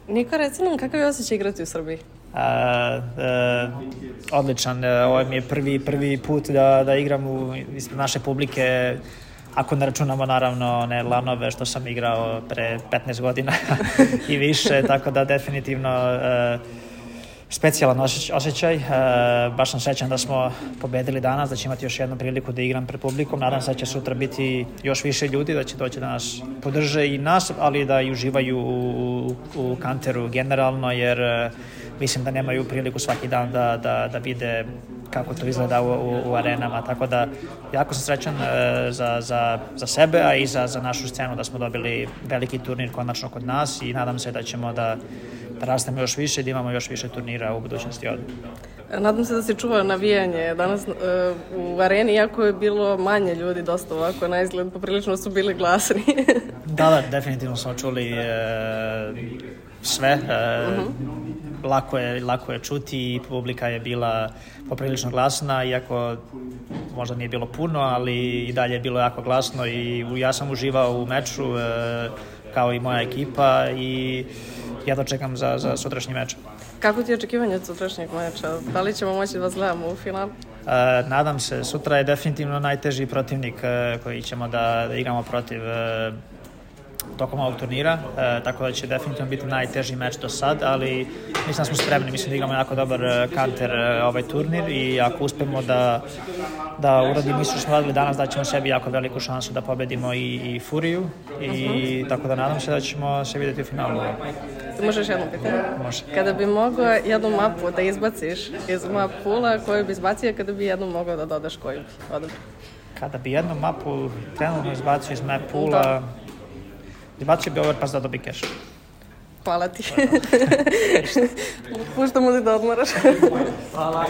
Niko, reci nam kakav je osjećaj igrati u Srbiji? Odličan, ovo mi je prvi put da igram ispred naše publike, ako ne računamo naravno one lanove što sam igrao pre 15 godina i više, tako da definitivno specijalan osjećaj. Baš sam srećan da smo pobedili danas, da će imati još jednu priliku da igram pred publikom. Nadam se da će sutra biti još više ljudi, da će doći da nas podrže i nas, ali da i uživaju u kanteru generalno, jer mislim da nemaju priliku svaki dan da vide kako to izgleda u arenama, tako da jako sam srećan za sebe, a i za našu scenu da smo dobili veliki turnir konačno kod nas i nadam se da ćemo da rastemo još više, da imamo još više turnira u budućnosti ovdje. Nadam se da se čuva navijanje danas u areni, iako je bilo manje ljudi, dosta ovako na izgled, poprilično su bili glasni. Da, definitivno smo čuli sve. Lako je čuti i publika je bila poprilično glasna, iako možda nije bilo puno, ali i dalje je bilo jako glasno i ja sam uživao u meču kao i moja ekipa i jedva čekam za sutrašnji meč. Kako ti je očekivanje od sutrašnjeg meča? Da li ćemo moći da vas gledamo u finalu? Nadam se. Sutra je definitivno najteži protivnik koji ćemo da igramo protiv tokom ovog turnira, tako da će definitivno biti najteži meč do sad, ali mislim da smo spremni, mislim da igramo jako dobar kanter ovaj turnir i ako uspemo da uradimo isto što smo radili danas, da ćemo sebi jako veliku šansu da pobedimo i Furiju i tako da nadam se da ćemo se vidjeti u finalu. Ti možeš jedno pitanje? Može. Kada bi mogao jednu mapu da izbaciš iz map pula, koju bi izbacio, kada bi jednu mogao da dodaš, koju bi odabrao? Kada bi jednu mapu trenutno izbacio iz map pula, izbacio bi Overpass da dobi keš. Hvala ti. Puštamo ti da odmoraš. Hvala.